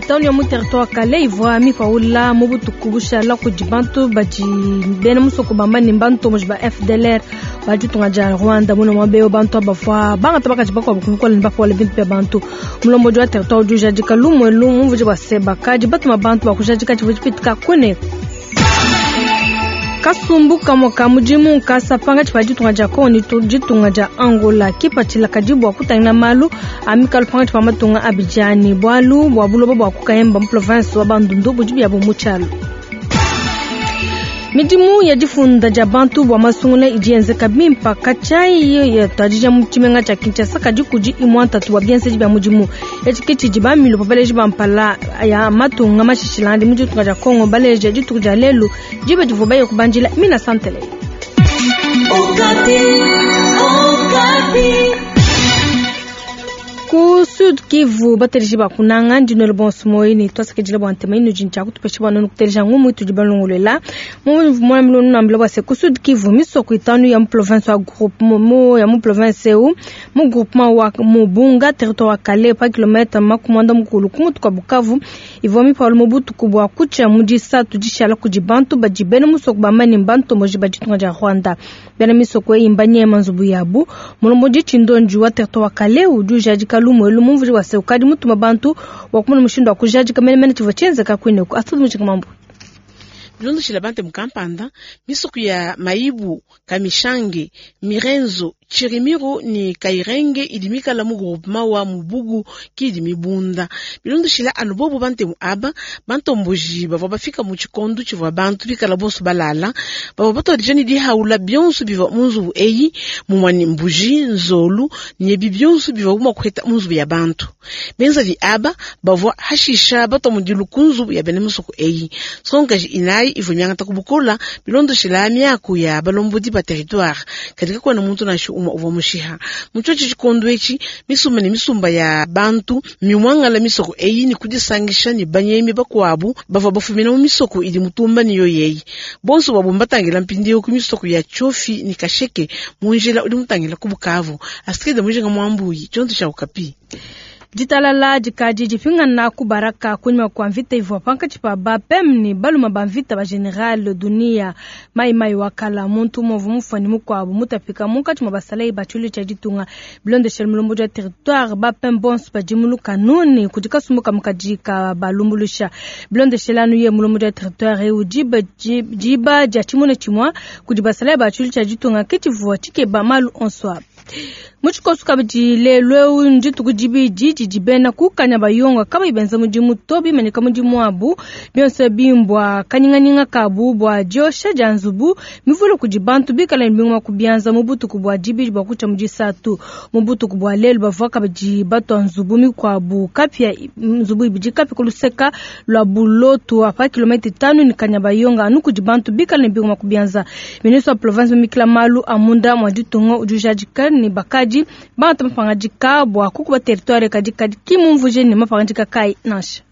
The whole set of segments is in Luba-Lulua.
Itanu ya mu territoire Kale ivua mipawula mu butuku bushala kudi bantu badi bena musoko bamba ne mbantomboji ba FDLR ba ditunga dia Rwanda. Muna muaba eu bantu bavua bangata bakaji bakuabu ku bukole ne bapawula bintu bia bantu. Mulombodi wa territoire udi ujadika lumu elu mumvuije bua se bakadi batuma bantu ba kujadika tshivua tshipitika kuneku. Kasumbu kamue ka mudimu nkasa pankatshi pa ditunga dia Congo ne ditunga dia Angola. Kipatshila kadi bua kutangila malu a mikalu pankatshi pa matunga abidi aa ne bualu bua buloba bua ku Kayemba mu province wa Bandundu budi biabo mu tshialu. Midimu ya difunda dia bantu bua masungula idi yenzeka bimpa katshia yatuadija mu tshimenga tshia Kinshasa, kadi kudi imua ntatu bua bienzedi bia mudimu. Etshi ke tshidi ba milopo baleji ba mpala ya matunga mashishilangane mu ditunga dia Congo baleja dituku dia lelu diba divua baye kubandila Mina Santele. Ku Sud Kivu bateleji ba kunanga ndi nuele bonso muoyo ne tuasakidila bua ntema inudi ntshia kutupesha bua nuenu kuteleja ngumu itudi balongoluela. Mumvua nuambila bua se ku Sud Kivu misoko itanu ya mu province wa groupe mu ya mu province eu mu groupement wa Mubunga territoire wa Kale pa kilomètre makumwanda mukulu ku mutu kwa Bukavu ivua mipawula mu butuku bua kutshia mu disatu dishala kudi bantu badi bena musoko bamba ne mbantomboji ba ditunga dia Rwanda. Bena misoko eyi mbanyema nzubu yabu. Mulombodi Tshindonji wa territoire wa Kale udi ujadika lumu elu mumvuija bua se ukadi mutuma bantu bua kumona mushindu wa kujadika menemene tshivua tshienzeka kuineku. Astrid Mujinga Mambu. Bilondeshile Bantemu kampanda, misoko ya Maibu, Kamishange, Mirenzo, Chirimiro ne Kairenge idi mikala mu groupement wa Mubugu ki idi mibunda. Bilondeshile anu bobu Bantemu aba, bantomboji bavua bafika mu tshikondo tshivua bantu bikala bonso balala, bavua batuadija ne dihaula bionso bivua mu nzubu eyi, mumue ne mbuji, nzolu ne ebi bionso bivuabu mua kuheta mu nzubu ya bantu. Benzavi aba bavua hashisha batua mudilu ku nzubu ya bena misoko eyi. Nsongakaji inayi ivua miangata ku bukola bilondeshila miaku ya balombodi ba territoire, kadi kakuena muntu nansha umue uvua mushiha. Mu tshiotshi tshikondo etshi, misumba ne misumba ya bantu mmimuangala misoko eyi ne kudisangisha ne banyemi bakuabu bavua bafumina mu misoko idi mutumba ne yoyi eyi. Bonso buabu mbatangila mpindieu ku misoko ya Tshiofi ne Kasheke mu njila udi mutangila ku Bukavu. Astride Mujinga Muambuyi, tshionso tshia Okapi. Ditalala dikadi dipingana ku Baraka kunyima kua mvita ivua pankatshi pa ba PEM ne baluma ba mvita ba General Dunia Mai Mai wa kala. Muntu umue uvua mufua ne mukuabu mutapika munkatshi mua basalayi ba tshiluilu tshia ditunga. Bilondeshile mulombodi wa territoire, ba PEM bonso badi mu lukanu ne kudi kasumbu kamue kadi kabalumbuluisha. Bilondeshile anu ye mulombodi wa territoire eu, diba diba dia tshimuna tshimua kudi basalayi ba tshiluilu tshia ditunga ke tshivua tshikeba malu onso aba. Mu tshikoso kabidi lelu eu ndituku dibidi didi bena ku Kanyabayonga kabayi benza mudimu to, bimanyika mudimu wabu. Bionso ebi mbua kanyinganyinga kabu bua diosha dia nzubu mivule kudi bantu bikale ne bingoma ku bianza mu butuku bua dibidi bua kutshia mu disatu. Mu butuku bua lelu bavua kabidi batua nzubu mikuabu kapia, nzubu ibidi kapia ku luseka lua Bulotu pa kilometa itanu ne Kanyabayonga anu kudi bantu bikale ne bingoma ku bianza. Ministre wa province mumikila malu a munda mua ditunga udi ujadika ne bakadi bangata mapangadika bua kukuba territoire, kadi kadi ki mumvuje ne mapangadika kayi nansha.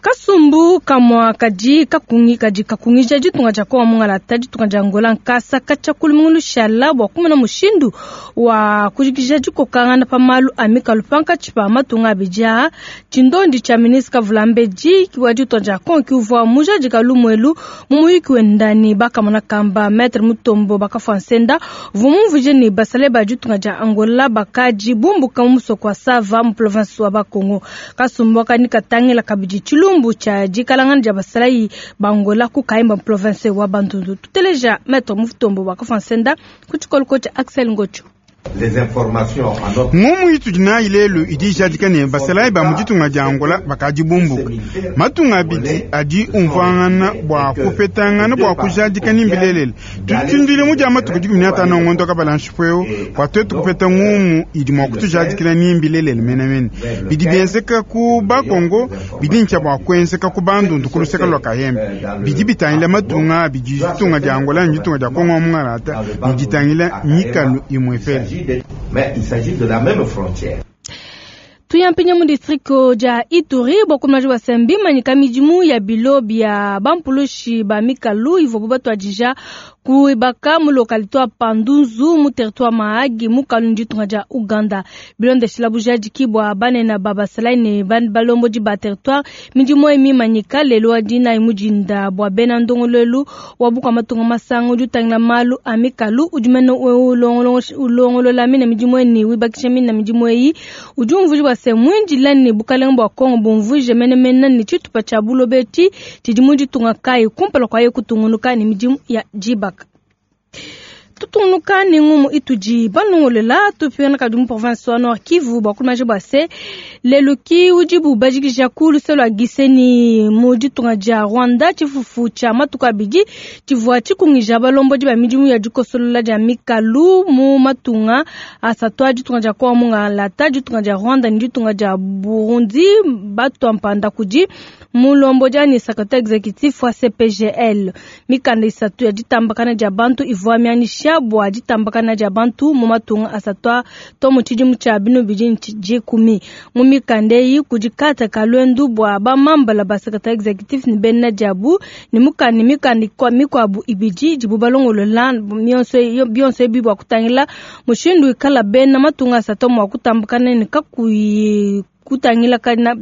Kasumbu kamua kadi kakungi kadi kakungija ditunga dia Kongo mungalata ditunga dia Angola nkasa katshia ku lumingu lushala bua kumona mushindu wa kujikija dikokangana pa malu a mikalu pankatshi pa matunga abidi aa. Tshindondi tshia ministre Kavulambedi wa ditunga dia Kongo ki uvua mujadika lumu elu mu muyuki wenda ne bakamona kamba Maitre Mutombo bakafua nsenda uvua mumvuije ne basalayi ba ditunga dia Angola bakadi bumbuka mu musoko wa Sava mu province wa Bakongo. Kasumbu aka katangila kabidi tshilumbu tshia dikalangana dia basalayi ba Angola ku Kayemba mu province wa Bandundu. Tuteleja Maitre Mutombo bakafua nsenda ku tshikoloko tshia Axel Ngocho. Ngumu itudi nayi lelu idi ijadika ne basalayi ba mu ditunga dia Angola bakadi bumbuka. Matunga abidi adi umvuangana bua kupetangana bua kujadika ni mbilelela. Tudi tuindila mu dia matuku 15 ngondo kabala nshipu eu bua tuetu kupeta ngumu idi mua kutujadikila ni mbilelela menemene. Bidi bienzeka ku Bakongo bidi ntshia bua kuenzeka ku Bandundu ku luseke lua Kayembe. Bidi bitangila matunga abidi, ditunga dia Angola ne ditunga dia Kongo wa mungalata, ne ditangila mikalu imue pele. Mais il s'agit de la même frontière. Tuyampinya mu district dia Ituri bua kumaji wa sembi manyika midimu ya bilo bia bampulushi ba mikalu ivuabu batuadija. Kuibaka mu localité wa Pandunzu mu territoire Mahagi mu Kalundu ditunga dia Uganda. Bilondeshila bujadiki bua banene ba basalayi ne balombodi ba territoire, midimu eyi mimanyika lelu wa dinayi mu dinda bua bena ndongoluelu wa bukua matunga masanga udi utangila malu a mikalu udi mene ulongolola mine midimu eyi ne wibakisha mine midimu eyi. Udi umvuija bua se muindila ne bukalenge bua Kongo bumvuije menemene ne tshitupa tshia buloba etshi tshidi mu ditunga kayi kumpala kwa ye kutungunuka ne midimu ya dibaka. Tutungunuka ne ngumu itudi balongolola tupingana kadi mu province wa Nord Kivu bua kumaja bua se lelu ki udibu bajikija ku luse lua Gisenyi mu ditunga dia Rwanda tshifufu tshia matuku abidi tshivua tshikungija balombodi ba midimu ya dikosolola dia mikalu mu matunga asatu a ditunga dia Kongo Mungalata, ditunga dia Rwanda ne ditunga dia Burundi batua mpanda kudi mulombodi anyi secrétaire exécutif wa CPGL. Mikanda isatu ya ditambakana dia bantu ivua mianyisha bua ditambakana dia bantu mu matunga asatu to mu tshidimu tshia binu bidi dikumi. Mu mikanda eyi kudi kata ka luendu bua bamambala ba secrétaire exécutif ne bena diabu ne mukanda mikanda mikuabu ibidi idibu balongolola bionso ebi bua kutangila mushindu wikala bena matunga asatu mua kutambakana ne kakuyi kutangila kana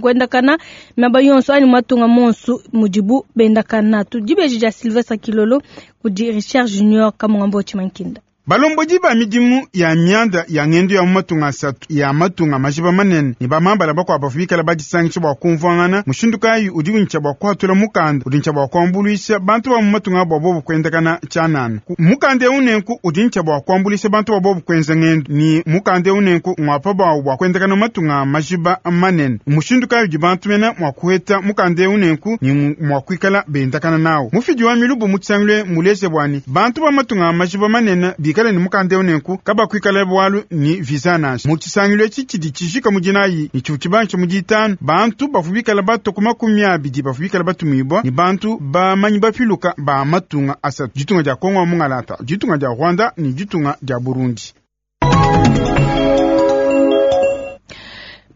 kuendakana miaba yonso anyi matunga monso mudibu bendakana. Tudibeji dia Sylvestre Kilolo kudi Richard Junior Kamungambo Chimankinda. Balombodi ba midimu ya mianda ya ngendo ya mu matunga asatu ya matunga majiba manene ne bamambala bakuabu bavua bikala badisangisha bua kumvuangana mushindu kayi udi untsha bua kuhatula mukanda udi ntsha bua kuambuluisha bantu ba mu matunga bua bobu kuendakana tshianana. Mukanda eu nenku udi ntsha bua kuambuluisha bantu ba bobu kuenza ngendo ni mukanda eu nenku ngwapa bawu bua kuendakana matunga majiba manene. Mushindu kayi udi bantu mena mua kuheta mukanda eu nenku ni mua kuikala bendakana nawu. Mufidi wa milubu mu tshisangilu muleje bwani bantu ba matunga majiba manene bikala ni mukanda eu nenku kabakuikala bwalu ni visa nansha. Mu tshisangilu etshi tshidi tshijika mu dinayi ni tshivu tshibangisha mu ditanu bantu bavua bikala bato ku 20 bavua bikala batumibua ni bantu bamanyi bapiluka ba matunga asatu, ditunga dia Kongo wa Mungalata, ditunga dia Rwanda ni ditunga dia Burundi.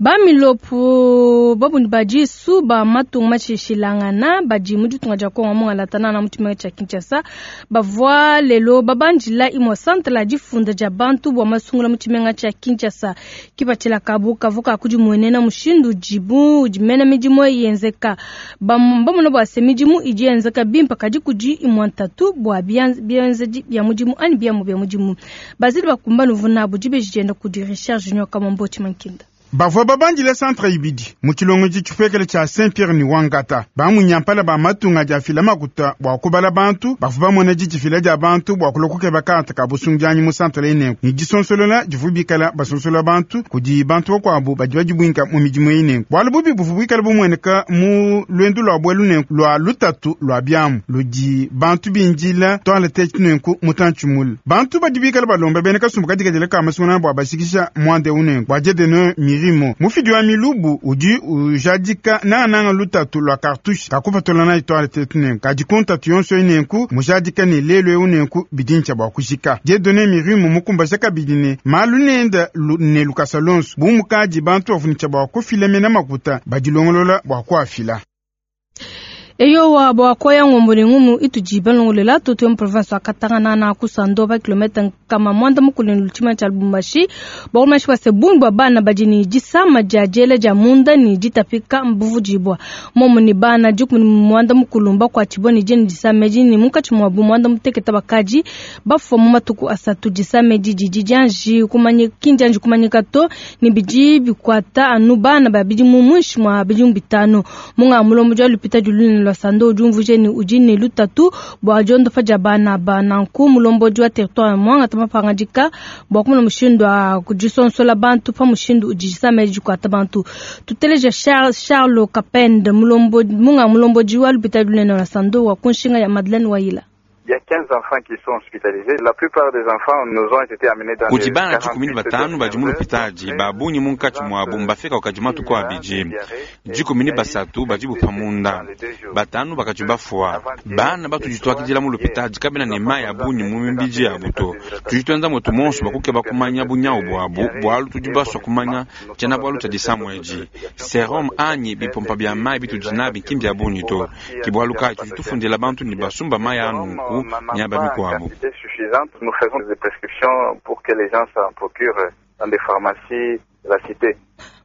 Bamilopo babundi badisu ba matunga mashishilangana badi mu ditunga dia Kongo Mungalata na mu tshimenga tshia Kinshasa bavua lelo babandila imue centre la difunda dia bantu bua masungula mu tshimenga tshia Kinshasa. Kipatshila kabu kavuka kudimuenena mushindu udibu udimena midimu yenzeka. Bamona bua se midimu idi yenzeka bimpe kadi kudi imue ntatu bua bienzedi bia mudimu anyi biamu bia mudimu. Bazili bakumba nuvuna dibeji dienda kudi Richard Junior Kamombo Chimankinda. Bavua babandile centre ibidi mu tshilongodi tshipekele tshia Saint Pierre ni Wangata. Bamunyampala ba matunga dia fila makuta bua kubala bantu bavua bamona didifila dia bantu bua kulua kukeba karte ka busungianyi mu centre enenku ni disonsolola divu bikala basonsola bantu kudi bantu bakuabu badi badibwinka mu midimu enenku. Bualu bubi buvu bikala bumueneka mu luendu lua buelu nenku lua lutatu lua biamu ludi bantu bindila toilette nenku mutantshi mule. Bantu badi bikala balomba bena kasumbu kadikadila ka masungana bua bashikisha mwande unenku bua Dieudonné Mirimo. Mufidi wa milubu udi ujadika nananga lutatu lua cartouche kakupatula na toilette nenku kadi kuntatu yonso enenku mujadika ne lelu eu nenku bidintsha bua kushika. Dieudonné Mirimo mukumbaja kabidi ne malu nenda ne lukasa lonso bu mukadi bantu bavunisha bua kufila mena makuta badilongolola bua kuafila. Eyowa bua koya ngombo ne ngumu itudi balongolela tutu mu province wa Katanga na kusando ba kilomètre kama mwanda mukulu ne lutima tshia Lubumbashi. Bakumashi bua se bungi bua bana badi ne disama dia diela dia munda ne ditapika mbuvudibua. Momo ne bana dikumi mwanda mukulu mbakuatshibua ne diene disama edi ne munkatshi muabu mwanda mutekete bakadi bafua mu matuku asatu. Disama edi didi dianji kumanyika, ki ndianji kumanyika to ne bidi bikuata anu bana ba bidimu muinshi mua bidimu 5. Munga mulombo dia lupita dilunene lua Sando udi umvuija ne udi ne lutatu bua diondopa dia bana ba nanku mulombodi wa territoire mwangata mapangadika bua kumona mushindu wa kudisonsola bantu pa mushindu udi disama edi dikuata bantu. Tuteleja Charles Kapende munga mulombodi wa lupita lunene lua Sando wa kunshinga ya Madeleine Waila. Il y a 15 enfants qui sont hospitalisés. La plupart des enfants nous ont été amenés dans les 45 badi mu lupitadi babunyi munkatshi muabu mbafika wakadi matuku abidi 13 badi bupa munda 5 bakadi bafua. Bana batudi twakidila mu lupitadi kabena ne mayi abunyi mu mibidi yabu to. Tudi tuenza mwetu monso bakukeba kumanya bunyawu bwabu bwalu tudi baswa kumanya tshiena bwalu tshia disamu edi serum anyi bipompa bia mayi bitudi nabi nki mbia bunyi to. Ki bwalu kayi tudi tufundila bantu ne basumba mayi anunku nawu miaba pas en mikuabu. quantité suffisante, nous faisons des prescriptions pour que les gens s'en procurent dans des pharmacies de la cité.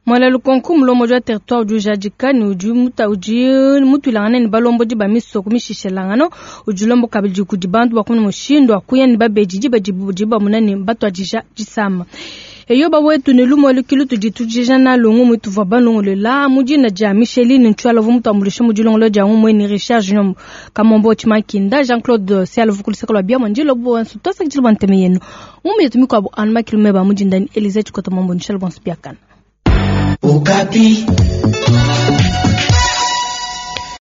Mwala lukonko mulombodi wa territoire udi ujadika ne udi muta udi mutuilangana ne balombodi ba misoko mishishelangano udi ulomba kabidi kudi bantu bakumuna mushindu wa kuya ne babedi diba didi bamuna ne batuadija disama. Eyo bawetu ne lumu lukilu tudi tujija na lungu mutuvua balongolela mu dina dia Micheline Ntshuala uvua mutuambuluishe mu dilongolola dia ngumue ne Richard Junior Kamombo Tshimakinda Jean-Claude Siala uvua ku luseke lua biamua ndilo bonso tuasakidila bua ntema yenu ngumu yetu mikuabu anu makilu meba mu dinda ni Elise Tshikota Mambo Ntshuala bonso biakana. Okapi.